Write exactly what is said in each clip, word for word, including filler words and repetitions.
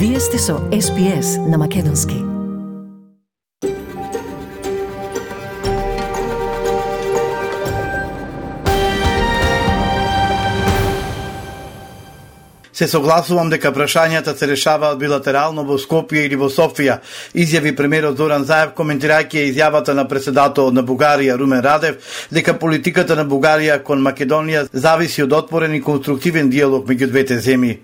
Вие сте со Ес Би Ес на Македонски. Се согласувам дека прашањата се решаваат билатерално во Скопје или во Софија, изјави премиерот Зоран Заев коментирајќи изјавата на претседателот на Бугарија Румен Радев дека политиката на Бугарија кон Македонија зависи од отворен и конструктивен диалог меѓу двете земји.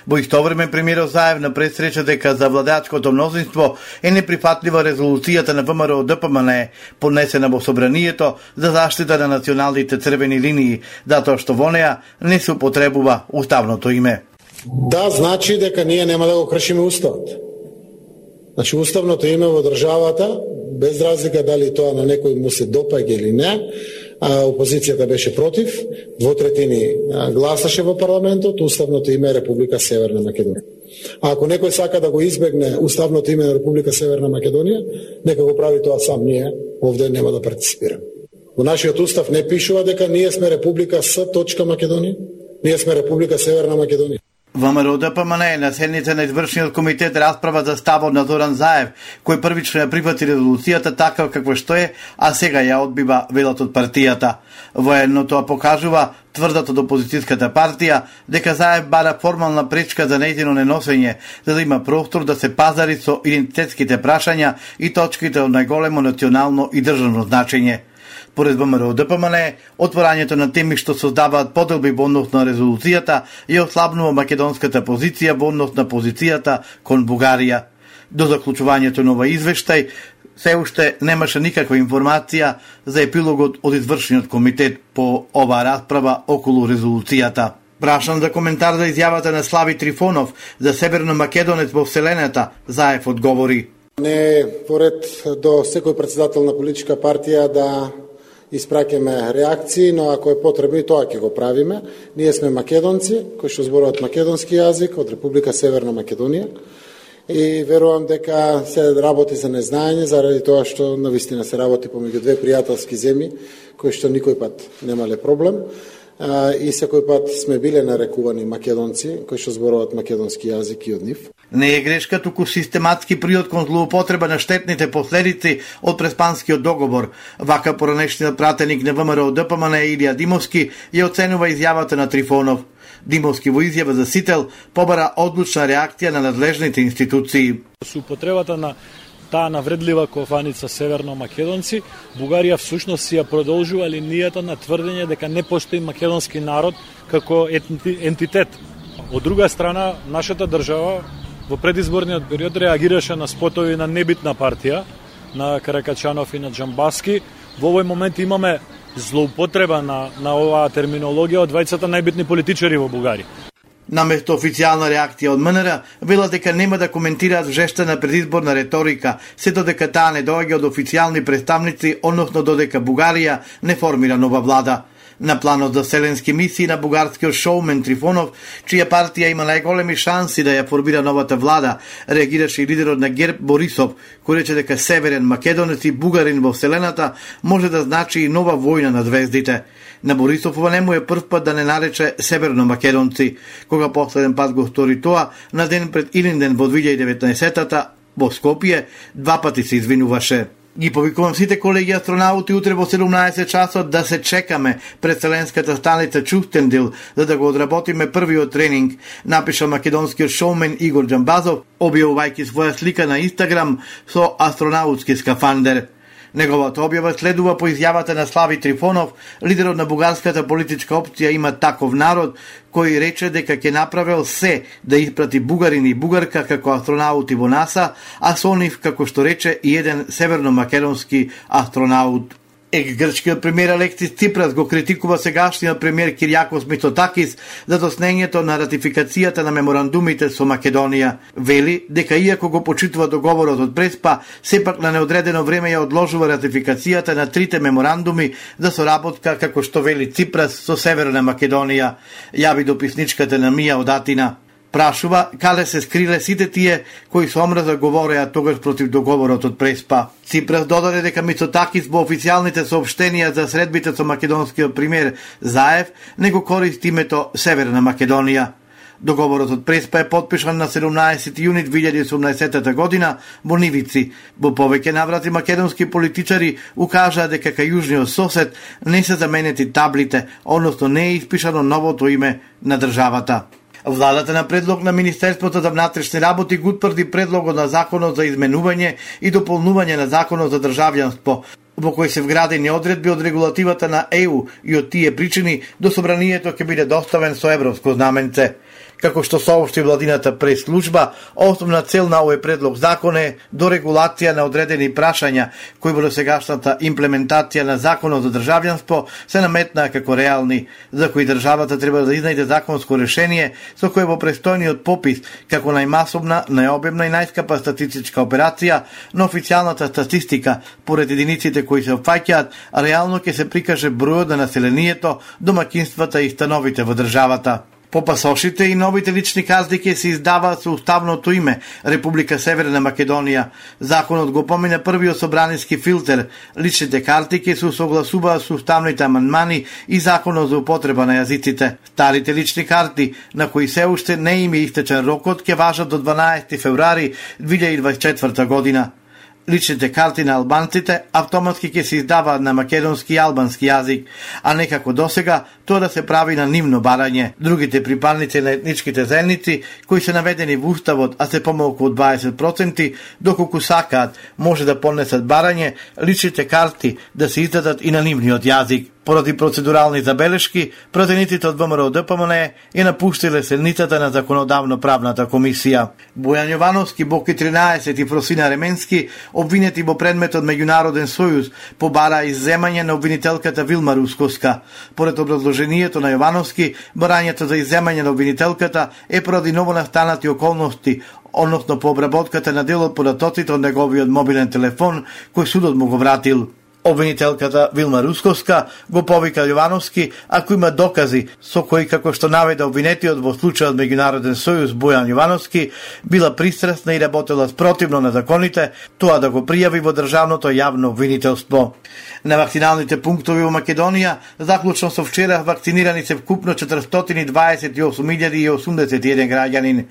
Во исто време премиерот Заев на пресреча дека за владеачкото мнозинство е неприфатлива резолуцијата на Вэ Ем Р О Д П М Н поднесена во Собранието за заштита на националните црвени линии, затоа што во неа не се употребува уставното име. Да, значи дека ние нема да го кршиме уставот. Значи уставното име во државата, без разлика дали тоа на некој му се допаѓа или не, а, опозицијата беше против, двотретини гласаше во парламентот, уставното име е Република Северна Македонија. А ако некој сака да го избегне уставното име на Република Северна Македонија, нека го прави тоа сам, ние овде нема да партиципираме. Во нашиот устав не пишува дека ние сме Република С. Македонија, ние сме Република Северна Македонија. Вэ Ем Р О Д П М Н на седница на извршниот комитет расправа за ставот на Зоран Заев, кој првично ја прифати резолуцијата така како што е, а сега ја одбива велот од партијата. Воедно тоа покажува тврдата од опозицијската партија дека Заев бара формална пречка за нејзино неносење, за да има простор да се пазари со идентитетските прашања и точките од најголемо национално и државно значење. Поред Вэ Ем Р О Д П М Н, отворањето на теми што создаваат поделби во однос на резолуцијата ја ослабнува македонската позиција во однос на позицијата кон Бугарија. До заклучувањето на овој извештај се уште немаше никаква информација за епилогот од извршниот комитет по оваа расправа околу резолуцијата. Прашан за коментар за изјавата на Слави Трифонов за Северно Македонец во Вселената, Заев одговори: Не поред до секој претседател на политичка партија да испраќаме реакции, но ако е потребно и тоа ќе го правиме. Ние сме македонци кои што зборуваат македонски јазик од Република Северна Македонија и верувам дека се работи за незнаење заради тоа што навистина се работи помеѓу две пријателски земји кои што никој пат немале проблем и секој пат сме биле нарекувани македонци кои што зборуваат македонски јазик и од нив. Не е грешка, туку систематски приод кон злоупотреба на штетните последици од Преспанскиот договор. Вака поранешниот пратеник на Вэ Ем Р О Д П М Н Илија Димовски ја оценува изјавата на Трифонов. Димовски во изјава за Сител побара одлучна реакција на надлежните институции. Со употребата на таа навредлива кофаница Северно Македонци, Бугарија всушност си ја продолжува линијата на тврдење дека не постои македонски народ како ентитет. Од друга страна, нашата држава во предизборниот период реагираше на спотови на небитна партија, на Каракачанов и на Джамбаски. Во овој момент имаме злоупотреба на, на оваа терминологија од двајцата најбитни политичари во Бугарија. Наместо официјална реакција од М Н Р, вела дека нема да коментираат жештена предизборна реторика, се додека таа не доаѓа од официјални представници, односно додека Бугарија не формира нова влада. На планот за селенски мисии на бугарскиот шоумен Трифонов, чија партија има најголеми шанси да ја формира новата влада, реагираше и лидерот на ГЕРБ Борисов, кој рече дека Северен Македонец и бугарин во Вселената може да значи и нова војна на звездите. На Борисов ова не му е прв пат да не нарече Северно Македонци, кога последен пат го стори тоа на ден пред Илинден во две илјади и деветнаесетта во Скопје, два пати се извинуваше. Ги повикувам сите колеги астронаути утре во седумнаесет часот да се чекаме пред Вселенската станица Чустендил за да го одработиме првиот тренинг, напиша македонскиот шоумен Игор Джамбазов, објавувајќи своја слика на Инстаграм со астронаутски скафандер. Неговата објава следува по изјавата на Слави Трифонов, лидерот на бугарската политичка опција Има таков народ, кој рече дека ќе направил се да испрати бугарин и бугарка како астронаути во НАСА, а со нив, како што рече, и еден северно-македонски астронаут. Екс-грчкиот премиер Алексис Ципрас го критикува сегашниот премиер Киријакос Мицотакис за доснењето на ратификацијата на меморандумите со Македонија. Вели дека иако го почитува договорот од Преспа, сепак на неодредено време ја одложува ратификацијата на трите меморандуми за соработка, како што вели Ципрас, со Северна Македонија, јави дописничката на Мија од Атина. Прашува каде се скриле сите тие кои со омраза говореа тогаш против договорот од Преспа. Ципрас додаде дека Мицотакис во официјалните соопштенија за средбите со македонскиот премиер Заев не го користи името Северна Македонија. Договорот од Преспа е потпишан на седумнаесети јуни две илјади и осумнаесета година во Нивици. Во повеќе наврати македонски политичари укажаа дека кај јужниот сосед не се заменети таблите, односно не е испишано новото име на државата. Владата на предлог на Министерството за внатрешни работи го утврди предлогот на законот за изменување и дополнување на законот за државјанство, во кој се вградени одредби од регулативата на Е У и од тие причини до собранието ќе биде доставен со европско знаменце. Како што соопшти владината прес-служба, основна цел на овој предлог закон е до регулација на одредени прашања кои во досегашната имплементација на законот за државјанство се наметнаа како реални, за кои државата треба да изнајде законско решение со кое во престојниот попис како најмасовна, најобемна и најскапа статистичка операција на официјалната статистика поред единиците кои се опфаќаат, реално ќе се прикаже бројот на населението, домаќинствата и становите во државата. По пасошите и новите лични карти ќе се издаваат со уставното име Република Северна Македонија. Законот го помина првиот собраниски филтер. Личните карти ќе се усогласуваат со уставните амандмани и законот за употреба на јазиците. Старите лични карти, на кои се уште не им е истечен рокот, ќе важат до дванаесети февруари две илјади и дваесет и четврта година. Личните карти на албанците автоматски ќе се издаваат на македонски и албански јазик, а не како досега тоа да се прави на нивно барање. Другите припадници на етничките заедници, кои се наведени во уставот, а се помалку од дваесет проценти, доколку сакаат, може да понесат барање личните карти да се издадат и на нивниот јазик. Поради процедурални забелешки, пратениците од Вэ Ем Р О Д П М Н Е ја напуштиле седницата на Законодавно-правната комисија. Бојан Јовановски, Боки тринаесет и Просина Ременски, обвинети во предметот Меѓународен сојуз, побара изземање на обвинителката Вилма Русковска. Поред образложението на Јовановски, барањето за изземање на обвинителката е поради новонастанати околности, односно по обработката на дел од податоците од неговиот мобилен телефон, кој судот му го вратил. Обвинителката Вилма Русковска го повика Јовановски ако има докази со кои, како што наведе обвинетиот во случајот Меѓународен сојуз Бојан Јовановски, била пристрасна и работела спротивно на законите, тоа да го пријави во државното јавно обвинителство. На вакциналните пунктови во Македонија, заклучно со вчера, вакцинирани се вкупно четиристотини дваесет и осум илјади и осумдесет и еден граѓанин.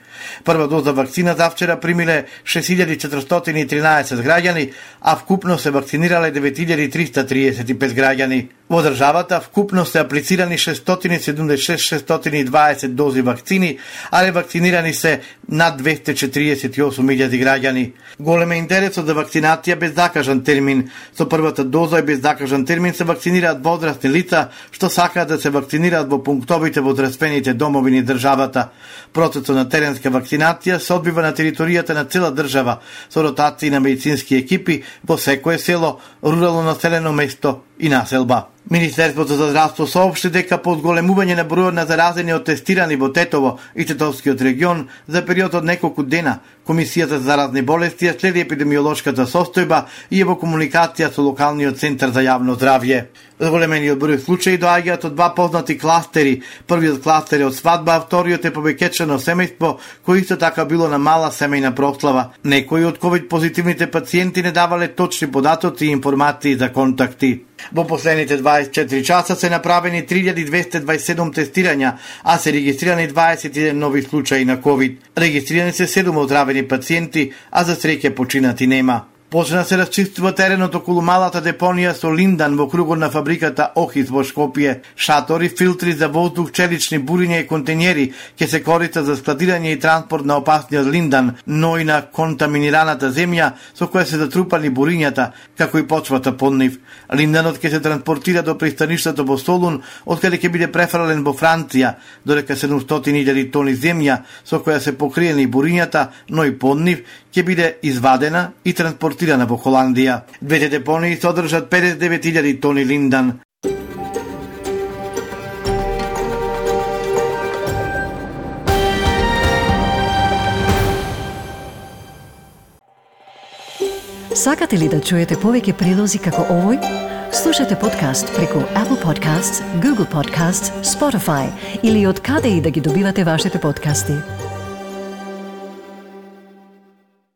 Прва доза вакцина за вчера примиле шест илјади четиристотини и тринаесет граѓани, а вкупно се вакцинирале девет илјади триста триесет и пет граѓани. Во државата вкупно се аплицирани шестстотини седумдесет и шест илјади шестстотини и дваесет дози вакцини, а ревакцинирани се над двесте четириесет и осум илјади граѓани. Голем е интересот за вакцинација без закажан термин. Со првата доза и без закажан термин се вакцинираат возрастни лица што сакаат да се вакцинираат во пунктовите во здравствените домови низ државата. Процесот на теренска вакцинација се одбива на територијата на цела држава со ротации на медицински екипи во секое село, рурално населено место и населба. Министерството за здравство соопшти дека по одголемување на бројот на заразени од тестирани во Тетово и Тетовскиот регион за период од неколку дена, Комисијата за заразни болести ја следи епидемиолошката состојба и е во комуникација со локалниот центар за јавно здравје. Зголемениот број случаи доаѓаат од два познати кластери. Првиот кластер е од свадба, а вториот е повеќечено семејство, кој исто така било на мала семејна прослава. Некои од ковид позитивните пациенти не давале точни податоци и информации за контакти. Во последните дваесет и четири часа се направени три илјади двесте дваесет и седум тестирања, а се регистрирани дваесет и еден нови случаи на ковид. Регистрирани се седум оздравени пациенти, а за среќа починати нема. Почна се расчистува теренот околу малата депонија со Линдан во кругот на фабриката Охис во Шкопје. Шатори, филтри за воздух, челични буриња и контењери ќе се користат за складирање и транспорт на опасниот Линдан, но и на контаминираната земја со која се затрупани бурињата, како и почвата под нив. Линданот ќе се транспортира до пристаништето во Солун, од каде ќе биде префрлен во Франција, додека седумстотини илјади тони земја со која се покриени бурињата, но и под нив, ќе биде извадена и транспортирана во Холандија. Двете депонии содржат педесет и девет илјади тони линдан. Сакате ли да чуете повеќе прилози како овој? Слушате подкаст преку Apple Podcasts, Google Podcasts, Spotify или од каде и да ги добивате вашите подкасти.